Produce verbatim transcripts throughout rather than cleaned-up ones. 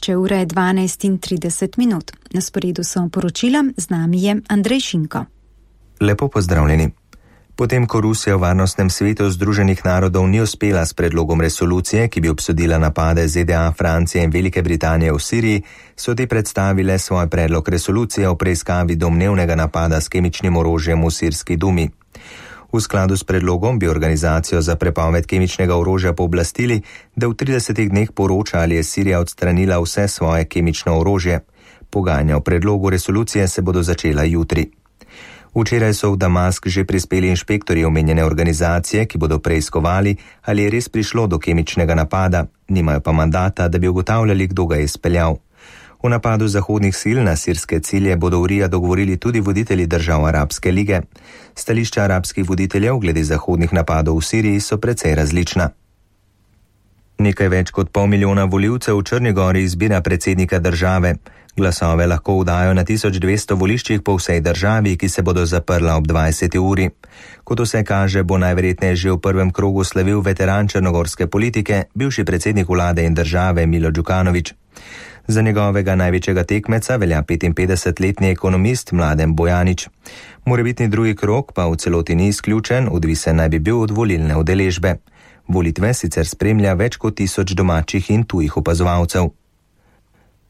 Če ura je dvanajst in trideset minut. Na sporedu so poročila, z nami je Andrej Šinko. Lepo pozdravljeni. Potem, ko Rusija v Varnostnem svetu Združenih narodov ni uspela s predlogom resolucije, ki bi obsodila napade Z D A, Francije in Velike Britanije v Siriji, so te predstavile svoj predlog resolucije o preiskavi domnevnega napada s kemičnim orožjem v sirski dumi. V skladu s predlogom bi organizacijo za prepoved kemičnega orožja pooblastili, da v tridesetih dneh poroča, ali je Sirija odstranila vse svoje kemično orožje. Pogajanja o predlogu resolucije se bodo začela jutri. Včeraj so v Damask že prispeli inšpektorji omenjene organizacije, ki bodo preiskovali, ali je res prišlo do kemičnega napada, nimajo pa mandata, da bi ugotavljali, kdo ga je izpeljal. V napadu zahodnih sil na sirske cilje bodo v Rija dogovorili tudi voditelji držav Arabske lige. Stališča arabskih voditeljev glede zahodnih napadov v Siriji so precej različna. Nekaj več kot pol milijona volivcev v Črni Gori izbira predsednika države. Glasove lahko vdajo na tisoč dvesto voliščih po vsej državi, ki se bodo zaprla ob dvajseti uri. Kot vse kaže, bo najverjetneje že v prvem krogu slavil veteran črnogorske politike, bivši predsednik vlade in države Milo Đukanović. Za njegovega največjega tekmeca velja petinpetdesetletni ekonomist Mladen Bojanić. Morebitni drugi krog pa v celoti ni izključen, odvisen naj bi bil od volilne udeležbe. Volitve sicer spremlja več kot tisoč domačih in tujih opazovalcev.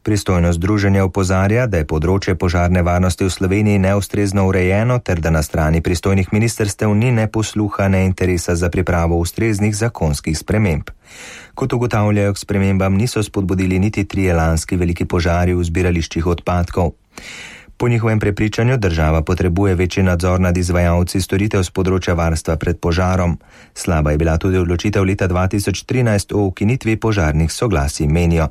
Pristojno združenje opozarja, da je področje požarne varnosti v Sloveniji neustrezno urejeno ter da na strani pristojnih ministrstev ni ne posluha, ne interesa za pripravo ustreznih zakonskih sprememb. Kot ugotavljajo, k spremembam niso spodbudili niti trije lanski veliki požari v zbirališčih odpadkov. Po njihovem prepričanju država potrebuje večji nadzor nad izvajalci storitev z področja varstva pred požarom. Slaba je bila tudi odločitev leta dva tisoč trinajst o ukinitvi požarnih soglasij, menijo.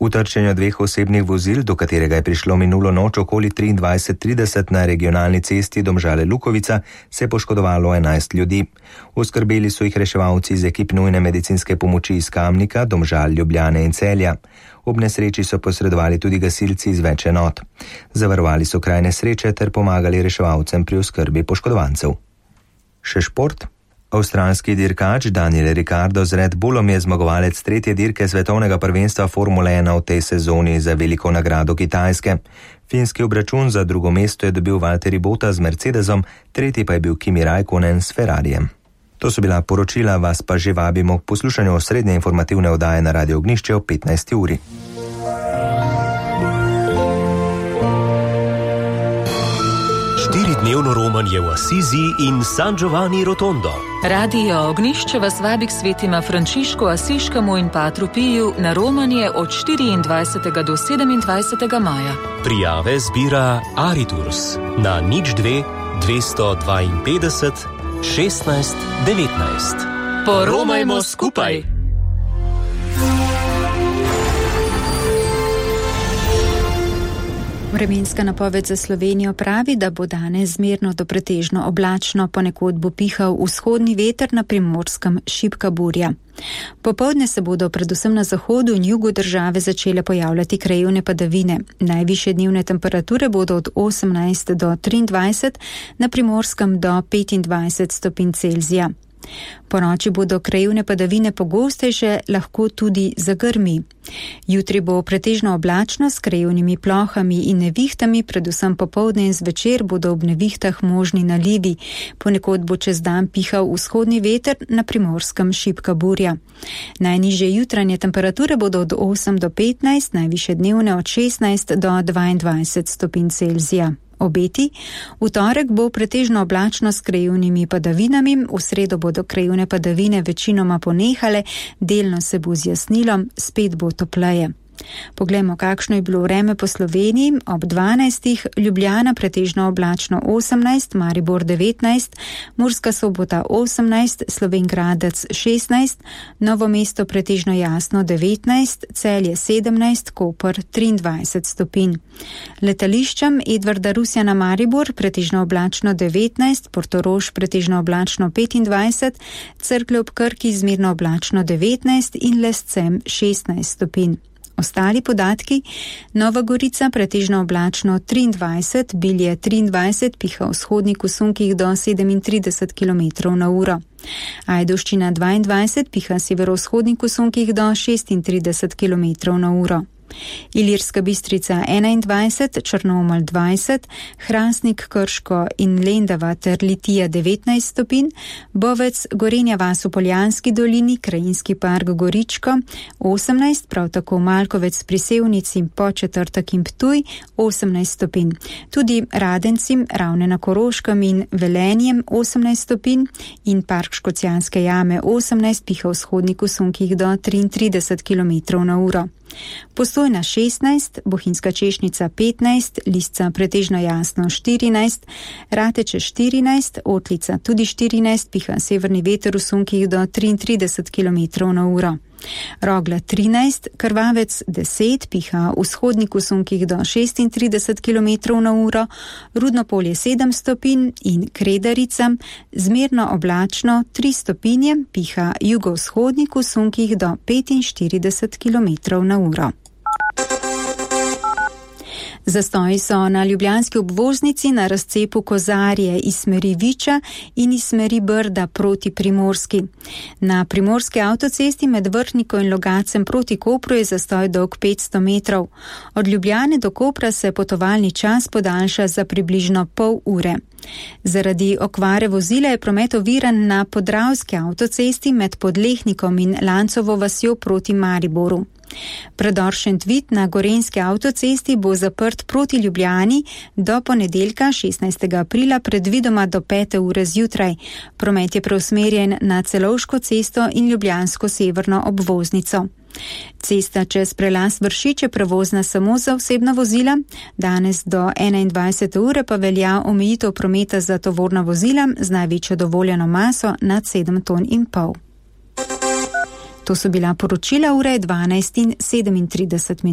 V trčenju dveh osebnih vozil, do katerega je prišlo minulo noč okoli triindvajset trideset na regionalni cesti Domžale-Lukovica, se je poškodovalo enajst ljudi. Oskrbeli so jih reševalci iz ekip nujne medicinske pomoči iz Kamnika, Domžal, Ljubljane in Celja. Ob nesreči so posredovali tudi gasilci iz več enot. Zavarovali so kraj nesreče ter pomagali reševalcem pri oskrbi poškodovancev. Še šport. Avstralski dirkač Daniel Ricciardo z Red Bullom je zmagovalec tretje dirke svetovnega prvenstva Formule ena v tej sezoni za veliko nagrado Kitajske. Finski obračun za drugo mesto je dobil Valtteri Bottas z Mercedesom, tretji pa je bil Kimi Räikkönen s Ferrarijem. To so bila poročila, vas pa že vabimo k poslušanju osrednje informativne oddaje na Radio Ognjišče ob petnajsti uri. Štiridnevno romanje v Asizi in San Giovanni Rotondo. Radio Ognjišče vas vabi k svetima Frančišku Asiškemu in Patru Piju na romanje od štiriindvajsetega do sedemindvajsetega maja. Prijave zbira Ariturs na nič dve dvesto dvainpetdeset šestnajst devetnajst. Poromajmo skupaj! Vremenska napoved za Slovenijo pravi, da bo danes zmerno do pretežno oblačno, ponekod bo pihal vzhodni veter, na Primorskem šibka burja. Popoldne se bodo predvsem na zahodu in jugu države začele pojavljati krajevne padavine. Najvišje dnevne temperature bodo od osemnajst do triindvajset, na Primorskem do petindvajset stopinj Celzija. Po noči bodo krajevne padavine pogostejše, lahko tudi zagrmi. Jutri bo pretežno oblačno s krajevnimi plohami in nevihtami, predvsem popoldne in zvečer bodo ob nevihtah možni nalivi. Ponekod bo čez dan pihal vzhodni veter, na Primorskem šibka burja. Najnižje jutranje temperature bodo od osem do petnajst, najvišje dnevne od šestnajst do dvaindvajset stopinj Celzija. Obeti. V torek bo pretežno oblačno s krajevnimi padavinami, v sredo bodo krajevne padavine večinoma ponehale, delno se bo zjasnilo, spet bo topleje. Poglejmo, kakšno je bilo vreme po Sloveniji. Ob dvanajstih Ljubljana pretežno oblačno osemnajst, Maribor devetnajst, Murska Sobota osemnajst, Slovenj Gradec šestnajst, Novo mesto pretežno jasno devetnajst, Celje sedemnajst, Koper triindvajset stopinj. Letališčem Edvarda Rusjana Maribor pretežno oblačno devetnajst, Portorož pretežno oblačno petindvajset, Cerklje ob Krki zmerno oblačno devetnajst in Lescem šestnajst stopinj. Ostali podatki: Nova Gorica pretežno oblačno triindvajset, Bilje triindvajset, piha vzhodnik v sunkih do sedemintrideset kilometrov na uro. Ajdovščina dvaindvajset, piha severovzhodnik v sunkih do šestintrideset kilometrov na uro. Ilirska Bistrica enaindvajset, Črnomelj dvajset, Hrastnik, Krško in Lendava ter Litija devetnajst stopinj, Bovec, Gorenja vas v Poljanski dolini, Krajinski park Goričko osemnajst, prav tako Malkovec pri Sevnici, Podčetrtek in Ptuj osemnajst stopinj. Tudi Radencim, Ravne na Koroškem in Velenjem osemnajst stopinj in Park Škocjanske jame osemnajst, piha vzhodnik v sunkih do triintrideset kilometrov na uro. Postojna šestnajst, Bohinjska Češnica petnajst, Lisca pretežno jasno štirinajst, Rateče štirinajst, Otlica tudi štirinajst, piha severni veter v sunkih do triintrideset kilometrov na uro. Rogla trinajst, Krvavec deset, piha vzhodnik v sunkih do šestintrideset kilometrov na uro, Rudnopolje sedem stopinj in Kredarica zmerno oblačno tri stopinje, piha jugovzhodnik v sunkih do petinštirideset kilometrov na uro. Zastoji so na ljubljanski obvoznici na razcepu Kozarje iz smeri Viča in iz smeri Brda proti Primorski. Na primorski avtocesti med Vrhniko in Logacem proti Kopru je zastoj dolg petsto metrov. Od Ljubljane do Kopra se potovalni čas podaljša za približno pol ure. Zaradi okvare vozila je promet oviran na Podravski avtocesti med Podlehnikom in Lancovo vasjo proti Mariboru. Predor Šentvid na Gorenjski avtocesti bo zaprt proti Ljubljani do ponedeljka šestnajstega aprila predvidoma do pete ure zjutraj. Promet je preusmerjen na Celovško cesto in Ljubljansko severno obvoznico. Cesta čez prelaz Vršič je prevozna samo za osebna vozila, danes do enaindvajsete ure pa velja omejitev prometa za tovorna vozila z največjo dovoljeno maso nad sedem ton in pol. To so bila poročila ure dvanajst in sedemintrideset minut.